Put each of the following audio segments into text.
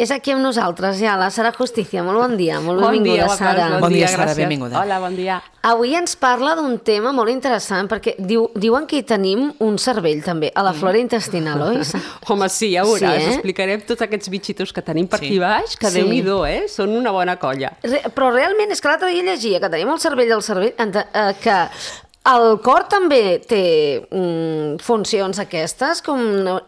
És aquí amb nosaltres, ja, la Sara Justicia. Molt bon dia, molt benvinguda, Sara. Bon dia, Sara, benvinguda. Hola, bon dia. Avui ens parla d'un tema molt interessant, perquè diuen que hi tenim un cervell, també, a la flora intestinal, oi? Home, sí, ja veuràs. Explicarem tots aquests bitxitos que tenim per aquí baix, que Déu-n'hi-do, són una bona colla. Però realment, és que l'altre dia llegia que tenim el cervell que el cor també té funcions aquestes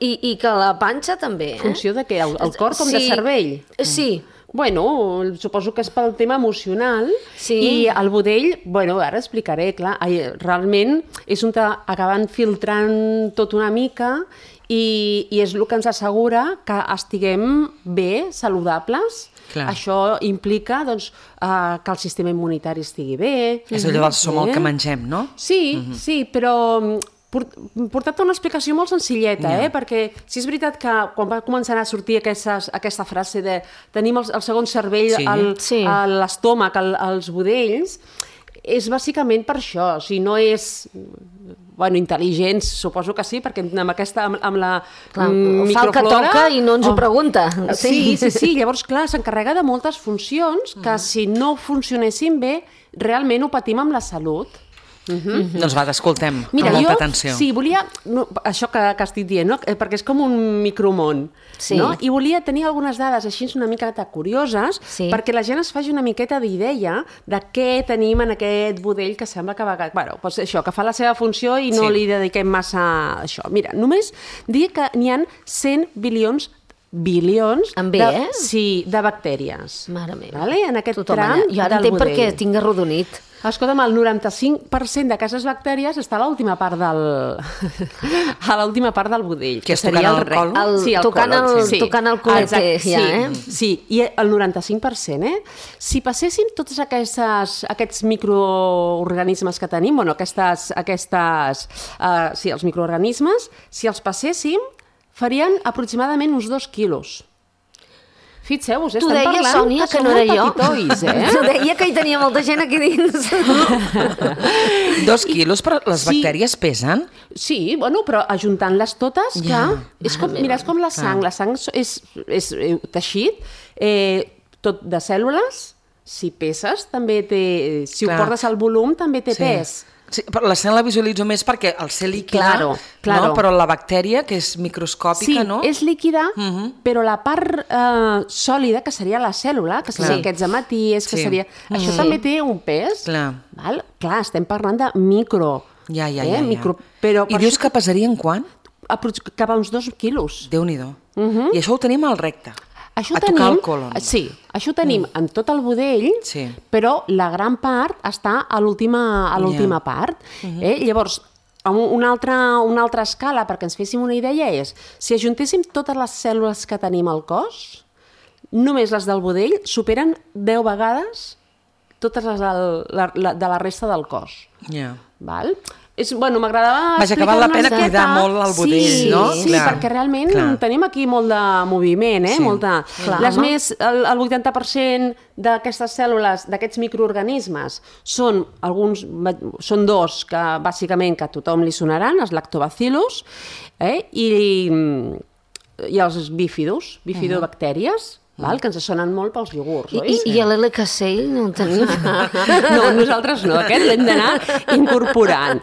i que la panxa també. Funció de què? El cor com de cervell? Sí. Bueno, suposo que és pel tema emocional i el budell, bueno, ara explicaré, clar, realment és on acaben filtrant tot una mica i és el que ens assegura que estiguem bé, saludables. Clar. Això implica doncs, que el sistema immunitari estigui bé. És allò del som el que mengem, no? Sí, sí, però portat una explicació molt senzilleta, perquè si és veritat que quan va començar a sortir aquesta frase de tenim el segon cervell a l'estómac, als budells, és bàsicament per això, o sigui, no és... Bueno, intel·ligents, suposo que sí, perquè amb la microflora... Fa el que toca i no ens ho pregunta. Sí, llavors, clar, s'encarrega de moltes funcions que si no funcionessin bé, realment ho patim amb la salut. Doncs va, t'escoltem amb molta atenció. Sí, volia... Això que estic dient, perquè és com un micromón. I volia tenir algunes dades així una miqueta curioses perquè la gent es faci una miqueta d'idea de què tenim en aquest budell que sembla que això, que fa la seva funció i no li dediquem massa a això. Mira, només dir que n'hi ha 100 bilions de bactèries. Mare meva. En aquest tram del budell. Jo ara entenc perquè tinc arrodonit. Escolta'm, el 95% d'aquestes bactèries està a l'última part del budell. Que seria el col? Sí, el col. Tocant el colete, sí, i el 95%. Si passéssim tots aquests microorganismes que tenim, els microorganismes, si els passéssim, farien aproximadament uns 2 quilos. Fixeu-vos, estem parlant Sònia, que no era jo. Petitois, Tu deia que hi tenia molta gent aquí dins. 2 quilos, però les bactèries pesen? Sí, bueno, però ajuntant-les totes, clar, és com la sang. La sang és teixit, tot de cèl·lules, si peses, també té... Si ho portes al volum, també té pes. Sí, però la sang la visualitzo més perquè el ser líquida, però la bactèria, que és microscòpica, no? Sí, és líquida, però la part sòlida, que seria la cèl·lula, que serien aquests hematies, que seria... Això també té un pes. Clar, estem parlant de micro. Ja. I dius que pesarien quan? Cap a uns 2 quilos. Déu-n'hi-do. I això ho tenim al recte. Tocar el colon. Sí, això ho tenim en tot el budell, però la gran part està a l'última part. Llavors, una altra escala, perquè ens féssim una idea, és si ajuntéssim totes les cèl·lules que tenim al cos, només les del budell superen 10 vegades totes les de la resta del cos. Val? M'agradava explicar que val la pena cuidar molt el budell, no? Sí, perquè realment tenim aquí molt de moviment, el 80% d'aquestes cèl·lules, d'aquests microorganismes, són 2 que bàsicament que a tothom li sonaran, els lactobacillus i els bifidobactèries, que ens sonen molt pels iogurts, oi? I l'LKCell no el tenim? No, nosaltres no, aquest l'hem d'anar incorporant.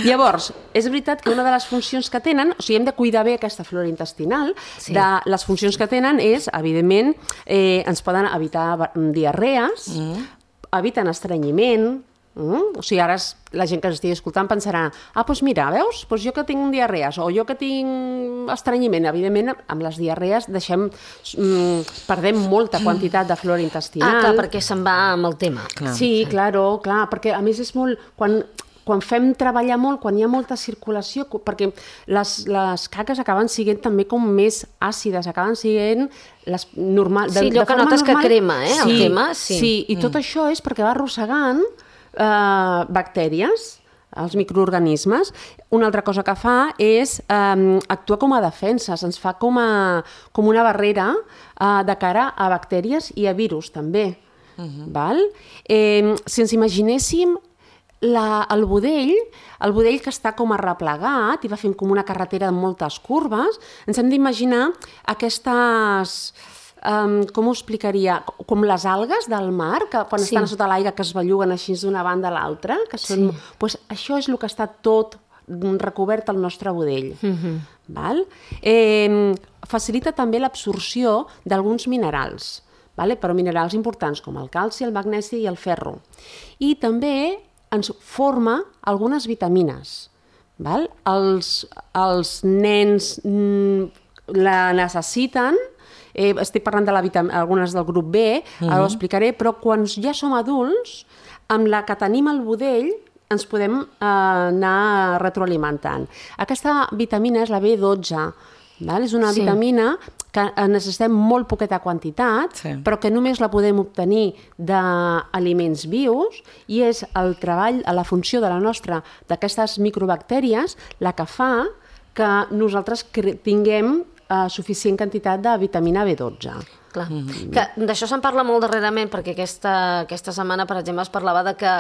Llavors, és veritat que una de les funcions que tenen, o sigui, hem de cuidar bé aquesta flora intestinal, les funcions que tenen és, evidentment, ens poden evitar diarrees, eviten estrenyiment. O sigui, ara la gent que ens estigui escoltant pensarà doncs mira, veus? Jo que tinc diarrees o jo que tinc estrenyiment. Evidentment, amb les diarrees perdem molta quantitat de flora intestinal. Clar, perquè se'n va amb el tema. Sí, clar, perquè a més és molt... Quan fem treballar molt, quan hi ha molta circulació, perquè les caques acaben sent també com més àcides, acaben sent les normals... Sí, allò que notes que crema, el tema. Sí, i tot això és perquè va arrossegant bactèries, els microorganismes. Una altra cosa que fa és actuar com a defenses, ens fa com una barrera de cara a bactèries i a virus també. Si ens imaginéssim el budell que està com arreplegat i va fent com una carretera amb moltes curves, ens hem d'imaginar aquestes com ho explicaria? Com les algues del mar, que quan estan sota l'aigua que es belluguen així d'una banda a l'altra, que són... Pues això és el que està tot recobert al nostre budell. Val? Facilita també l'absorció d'alguns minerals, però minerals importants com el calci, el magnesi i el ferro. I també ens forma algunes vitamines. Val? Els nens la necessiten, estic parlant algunes del grup B, ara ho explicaré, però quan ja som adults, amb la que tenim al budell, ens podem anar retroalimentant. Aquesta vitamina és la B12, és una vitamina que necessitem molt poqueta quantitat, però que només la podem obtenir d'aliments vius, i és el treball, la funció d'aquestes microbactèries la que fa que nosaltres tinguem suficient quantitat de vitamina B12. Clar. D'això se'n parla molt darrerament, perquè aquesta setmana, per exemple, es parlava de que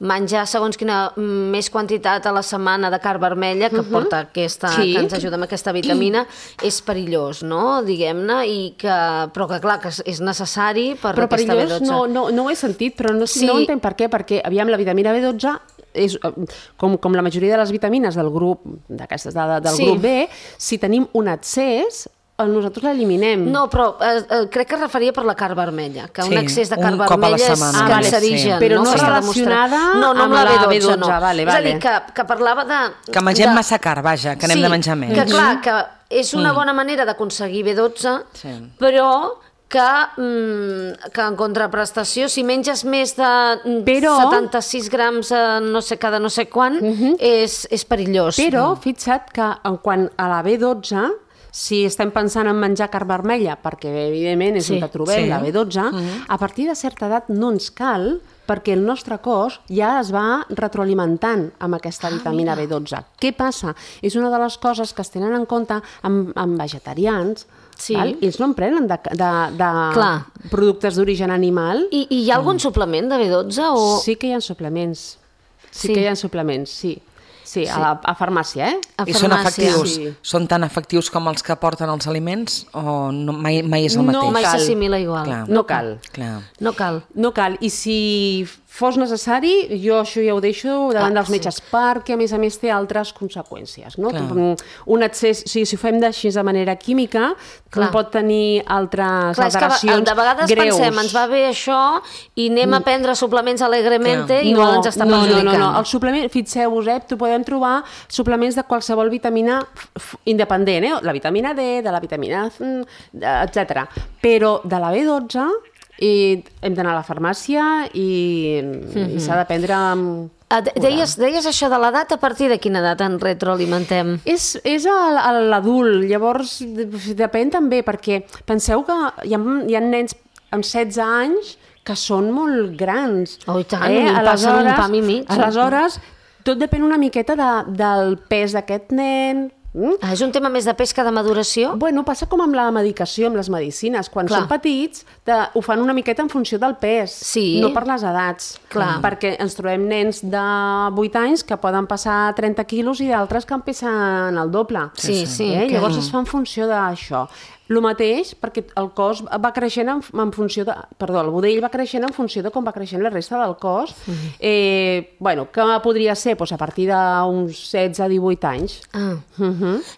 menjar segons quina més quantitat a la setmana de carn vermella, que porta que ens ajuda amb aquesta vitamina, és perillós, no? Diguem-ne, però que clar, que és necessari per aquesta B12. Però perillós no ho he sentit, però no entenc per què, perquè, aviam, la vitamina B12 és, com la majoria de les vitamines del grup grup B, si tenim un excés, nosaltres l'eliminem. No, però crec que es referia per la carn vermella, que un excés de carn vermella és cancerigen. Però no relacionada amb la B12. És a dir, que parlava de... Que mengem massa carn, vaja, que n'hem de menjar més. Que clar, que és una bona manera d'aconseguir B12, però que en contraprestació, si menges més de 76 grams cada no sé quan, és perillós. Però fixa't que quan a la B12, si estem pensant en menjar carn vermella, perquè evidentment és on trobem la B12, a partir de certa edat no ens cal, perquè el nostre cos ja es va retroalimentant amb aquesta vitamina B12. Què passa? És una de les coses que es tenen en compte amb vegetarians, i ells no en prenen de productes d'origen animal. I hi ha algun suplement de B12? Sí que hi ha suplements. Sí, a farmàcia, I són efectius? Són tan efectius com els que porten els aliments o mai és el mateix? No, mai s'assimila igual. No cal. No cal. I si fos necessari, jo això ja ho deixo davant dels metges, perquè a més té altres conseqüències. Un excés, si ho fem així de manera química, pot tenir altres alteracions greus. De vegades pensem, ens va bé això i anem a prendre suplements alegrement i igual ens està perjudicant. No, el suplement, fixeu-vos, podem trobar suplements de qualsevol vitamina independent, la vitamina D, de la vitamina etc. Però de la B12 hem d'anar a la farmàcia i s'ha de prendre amb... Deies això de l'edat, a partir de quina edat ens retroalimentem? És l'adult, llavors depèn també, perquè penseu que hi ha nens amb 16 anys que són molt grans. Oh, i tant, passen un pam i mig. Aleshores, tot depèn una miqueta del pes d'aquest nen. És un tema més de pes que de maduració? Bueno, passa com amb la medicació, amb les medicines. Quan són petits, ho fan una miqueta en funció del pes, no per les edats. Perquè ens trobem nens de 8 anys que poden passar 30 quilos i d'altres que en pesen el doble. Llavors es fa en funció d'això. El mateix, perquè el cos va creixent en funció de... Perdó, el budell va creixent en funció de com va creixent la resta del cos. Què podria ser? A partir d'uns 16-18 anys.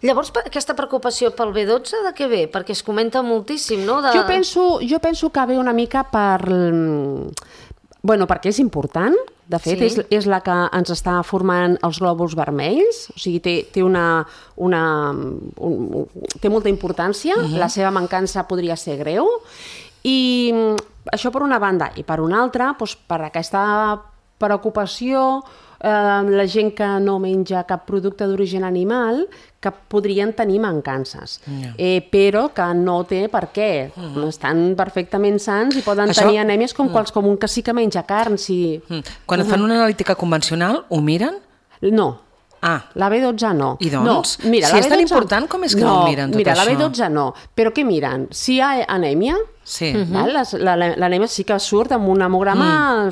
Llavors, aquesta preocupació pel B12 de què ve? Perquè es comenta moltíssim, no? Jo penso que ve una mica perquè és important. De fet, és la que ens està formant els glòbuls vermells, o sigui, té molta importància, la seva mancança podria ser greu, i això per una banda. I per una altra, per aquesta preocupació, la gent que no menja cap producte d'origen animal, que podrien tenir mancances, però que no té per què. Estan perfectament sans i poden tenir anèmies com un que sí que menja carn. Quan fan una analítica convencional, ho miren? No. La B12 no. I doncs? Si és tan important, com és que no miren tot això? Mira, la B12 no. Però què miren? Si hi ha anèmia, l'anèmia sí que surt amb un hemograma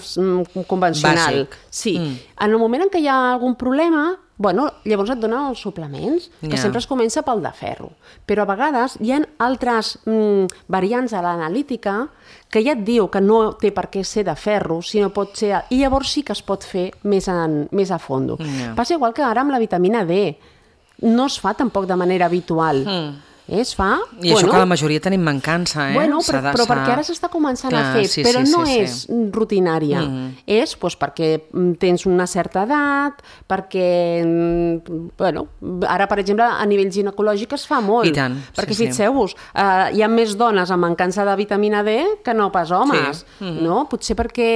convencional. En el moment en què hi ha algun problema, llavors et donen els suplements, que sempre es comença pel de ferro. Però a vegades hi ha altres variants a l'analítica que ja et diu que no té per què ser de ferro, sinó pot ser... I llavors sí que es pot fer més a fondo. Passa igual que ara amb la vitamina D. No es fa tampoc de manera habitual. Es fa... I això que la majoria tenim mancança, però perquè ara s'està començant a fer, però no és rutinària. És perquè tens una certa edat, perquè... Ara, per exemple, a nivell ginecològic es fa molt. I tant. Perquè fixeu-vos, hi ha més dones amb mancança de vitamina D que no pas homes. No? Potser perquè...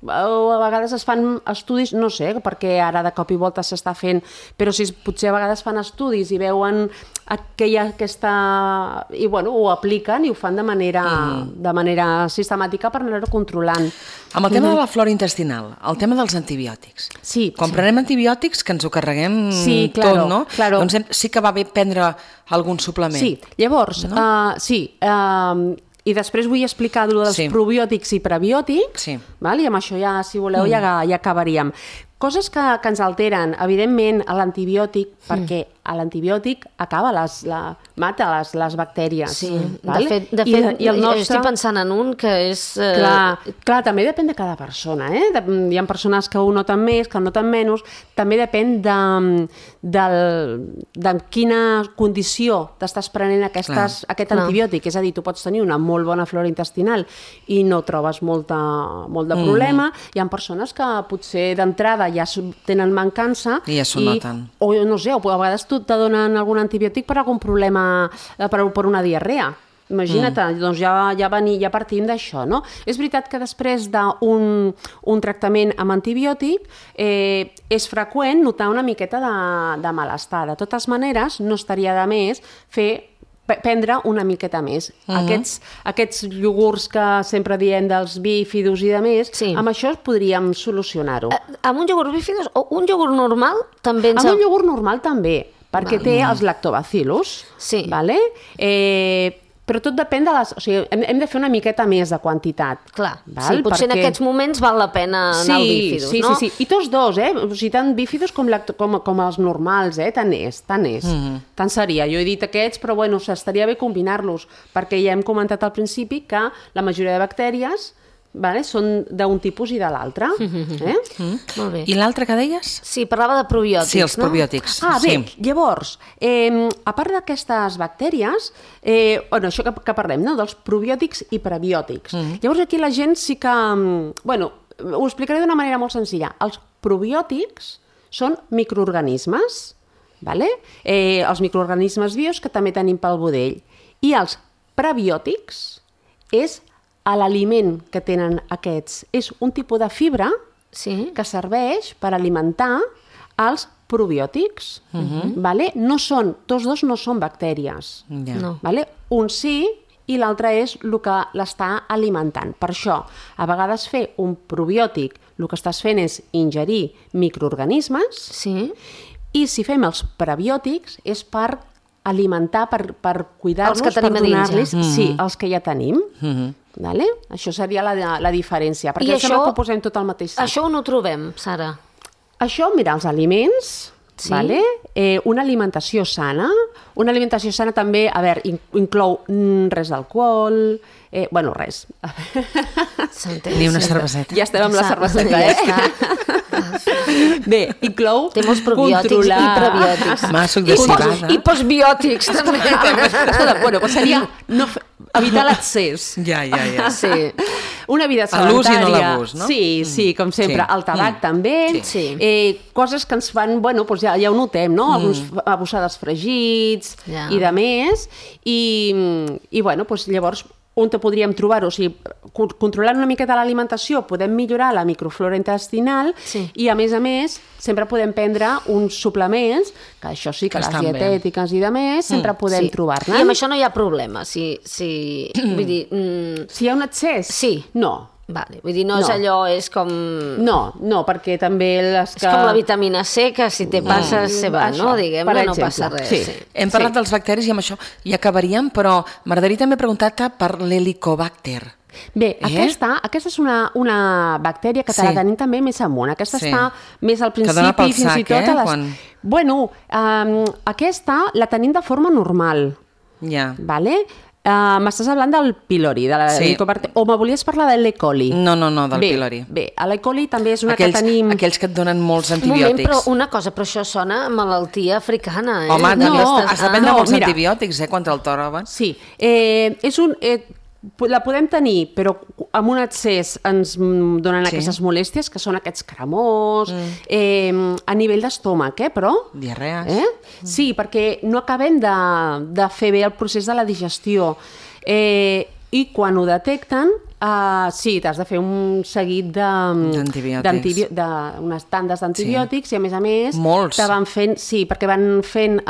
a vegades es fan estudis, no sé, perquè ara de cop i volta s'està fent, però potser a vegades fan estudis i veuen que hi ha aquesta... i ho apliquen i ho fan de manera sistemàtica per anar-ho controlant. Amb el tema de la flora intestinal, el tema dels antibiòtics. Sí. Quan prenem antibiòtics, que ens ho carreguem tot, no? Doncs sí que va bé prendre algun suplement. Sí, llavors, i després vull explicar dels probiòtics i prebiòtics, i amb això ja, si voleu, ja acabaríem. Coses que ens alteren, evidentment, l'antibiòtic, perquè l'antibiòtic mata les bactèries. Sí, de fet, jo estic pensant en un que és... Clar, també depèn de cada persona, Hi ha persones que ho noten més, que ho noten menys, també depèn de quina condició t'estàs prenent aquest antibiòtic, és a dir, tu pots tenir una molt bona flora intestinal i no trobes molt de problema, hi ha persones que potser d'entrada ja tenen mancança i ja s'ho noten. O no sé, a vegades tu te donen algun antibiòtic per algun problema, per una diarrea. Imagina't, doncs ja partim d'això, no? És veritat que després d'un tractament amb antibiòtic és freqüent notar una miqueta de malestar. De totes maneres, no estaria de més prendre una miqueta més. Aquests iogurts que sempre diem dels bífidos i de més, amb això podríem solucionar-ho. Amb un iogurt bífidos o un iogurt normal també Amb un iogurt normal també, perquè té els lactobacillus, vale? Però tot depèn de les... O sigui, hem de fer una miqueta més de quantitat. Clar, potser en aquests moments val la pena anar al bífidos, no? Sí. I tots dos, O sigui, tant bífidos com els normals, tant és. Tant seria. Jo he dit aquests, però s'estaria bé combinar-los, perquè ja hem comentat al principi que la majoria de bactèries són d'un tipus i de l'altre. Molt bé. I l'altre que deies? Sí, parlava de probiòtics, Sí, els probiòtics. Bé, llavors, a part d'aquestes bactèries, això que parlem, dels probiòtics i prebiòtics. Llavors aquí la gent sí que... ho explicaré d'una manera molt senzilla. Els probiòtics són microorganismes, els microorganismes vius que també tenim pel budell. I els prebiòtics és l'aliment que tenen aquests. És un tipus de fibra que serveix per alimentar els probiòtics. Tots dos no són bactèries. Un sí i l'altre és el que l'està alimentant. Per això, a vegades fer un probiòtic el que estàs fent és ingerir microorganismes i si fem els prebiòtics és per alimentar, per cuidar-los, per donar-los els que ja tenim. Això seria la diferència, perquè sempre ho posem tot al mateix sac. Això on ho trobem, Sara? Això, mira, els aliments, una alimentació sana. Una alimentació sana també, inclou res d'alcohol, res. Ni una cerveseta. Ja estem amb la cerveseta, Bé, inclou té molts probiòtics i prebiòtics. Suc de civada. I postbiòtics, també. Seria evitar l'excés. Ja. Sí. Una vida sedentària. L'ús i no l'abús, no? Sí, com sempre. El tabac també. Coses que ens fan, ja ho notem, no? Alguns abusades fregits i de més. I llavors on podríem trobar-ho? O sigui, controlant una miqueta l'alimentació podem millorar la microflora intestinal i, a més, sempre podem prendre uns suplements, que això sí, que les dietètiques i de més, sempre podem trobar-ne. I amb això no hi ha problema. Vull dir... Si hi ha un excés? Sí. No. Vull dir, no és allò, és com... No, perquè també les que... És com la vitamina C, que si te passa se va, no? Diguem-ne, no passa res. Hem parlat dels bacteris i amb això hi acabaríem, però m'agradaria també preguntar-te per l'helicobacter. Bé, aquesta és una bactèria que te la tenim també més amunt. Aquesta està més al principi, fins i tot a les... Bueno, aquesta la tenim de forma normal. Ja. Vale? M'estàs parlant del pylori, de o me volies parlar de l'E. coli? No, del pylori. Bé, l'E. coli també és una que tenim... Aquells que et donen molts antibiòtics. Però una cosa, però això sona a malaltia africana, Home, has de prendre molts antibiòtics, contra el toroven. Sí, és un... La podem tenir, però amb un excés ens donen aquestes molèsties, que són aquests cremors, a nivell d'estómac, però... Diarrees. Sí, perquè no acabem de fer bé el procés de la digestió. I quan ho detecten, sí, t'has de fer un seguit d'unes tandes d'antibiòtics i, a més, molts. te van fent... Sí, perquè van fent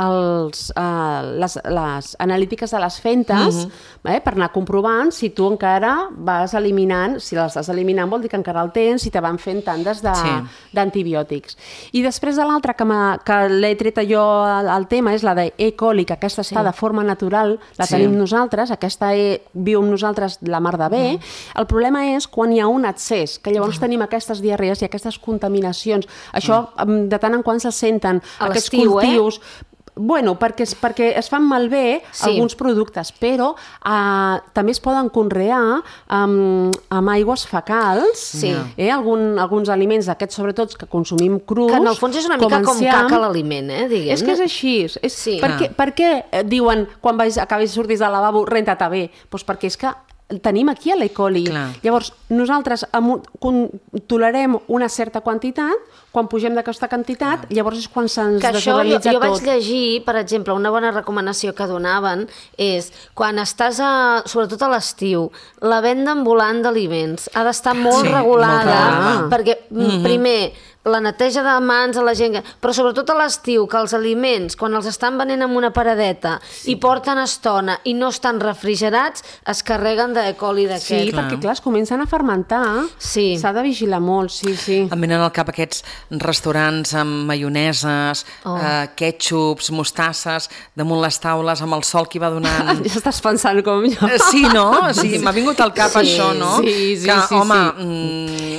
les analítiques de les fentes per anar comprovant si tu encara vas eliminant, si les estàs eliminant vol dir que encara el tens, i te van fent tandes d'antibiòtics. I després de l'altra que l'he tret jo al tema és la d'E. coli, que aquesta està de forma natural, la tenim nosaltres, aquesta viu amb nosaltres la mar de bé. El problema és quan hi ha un excés, que llavors tenim aquestes diarrees i aquestes contaminacions. Això de tant en quant se senten aquests cultius. Bueno, perquè es fan malbé alguns productes, però també es poden conrear amb aigües fecals, alguns aliments d'aquests, sobretot, que consumim crus. Que en el fons és una mica com caca l'aliment, diguem-ne. És que és així. Per què diuen, quan acabis de sortir del lavabo, renta-te bé? Doncs perquè és que tenim aquí l'E. coli. Llavors, nosaltres tolerem una certa quantitat, quan pugem d'aquesta quantitat, llavors és quan se'ns desorganitza tot. Jo vaig llegir, per exemple, una bona recomanació que donaven és, quan estàs, sobretot a l'estiu, la venda ambulant d'aliments ha d'estar molt regulada, perquè, primer, la neteja de mans a la gent, però sobretot a l'estiu, que els aliments, quan els estan venent amb una paradeta i porten estona i no estan refrigerats, es carreguen d'E. coli d'aquest. Sí, perquè clar, es comencen a fermentar. S'ha de vigilar molt, sí. Em venen al cap aquests restaurants amb maioneses, kètxups, mostasses, damunt les taules, amb el sol que hi va donant... Ja estàs pensant com jo. Sí, no? Sí, m'ha vingut al cap això, no? Sí. Home,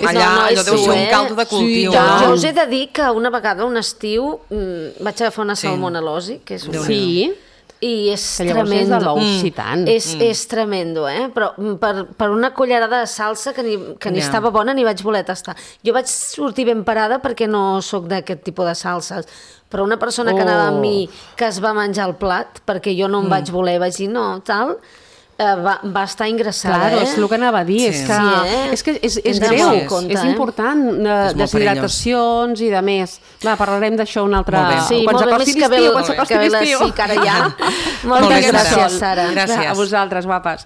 allà allò deu ser un caldo de cultiu, no? Jo us he de dir que una vegada, un estiu, vaig agafar una salmonel·losi, que és una... Sí. I és tremendo. És de l'oxitant. És tremendo, però per una cullerada de salsa que ni estava bona ni vaig voler tastar. Jo vaig sortir ben parada perquè no sóc d'aquest tipus de salses, però una persona que anava amb mi que es va menjar el plat, perquè jo no em vaig voler, vaig dir no, tal... va estar ingressada. Claro, és el que anava a dir, és que és greu, és important, deshidratacions i de més. Parlarem d'això un altre... Sí, molt bé, més que ve l'estiu, que ara ja. Moltes gràcies, Sara. Gràcies. A vosaltres, guapes.